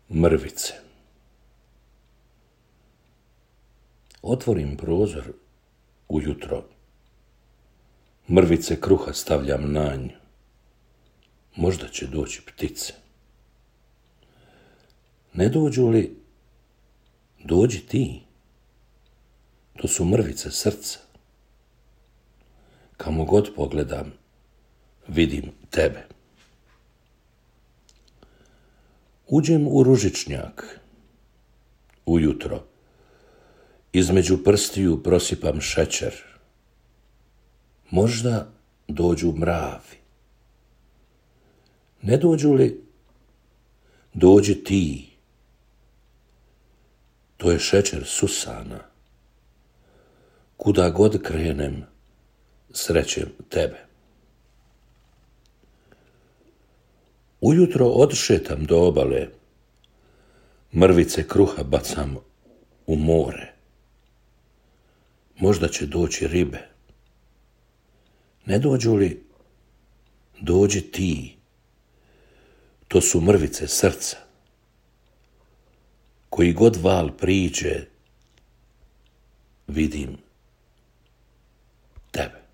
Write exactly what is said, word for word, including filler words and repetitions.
Mrvice. Otvorim prozor ujutro, mrvice kruha stavljam na nj, možda će doći ptice. Ne dođu li, dođi ti, to su mrvice srca. Kamo god pogledam, vidim tebe. Uđem u ružičnjak, ujutro, između prstiju prosipam šećer. Možda dođu mravi. Ne dođu li, dođi ti. To je šećer susana. Kuda god krenem, srećem tebe. Ujutro odšetam do obale, mrvice kruha bacam u more. Možda će doći ribe. Ne dođu li, dođi ti. To su mrvice srca. Koji god val priđe, vidim tebe.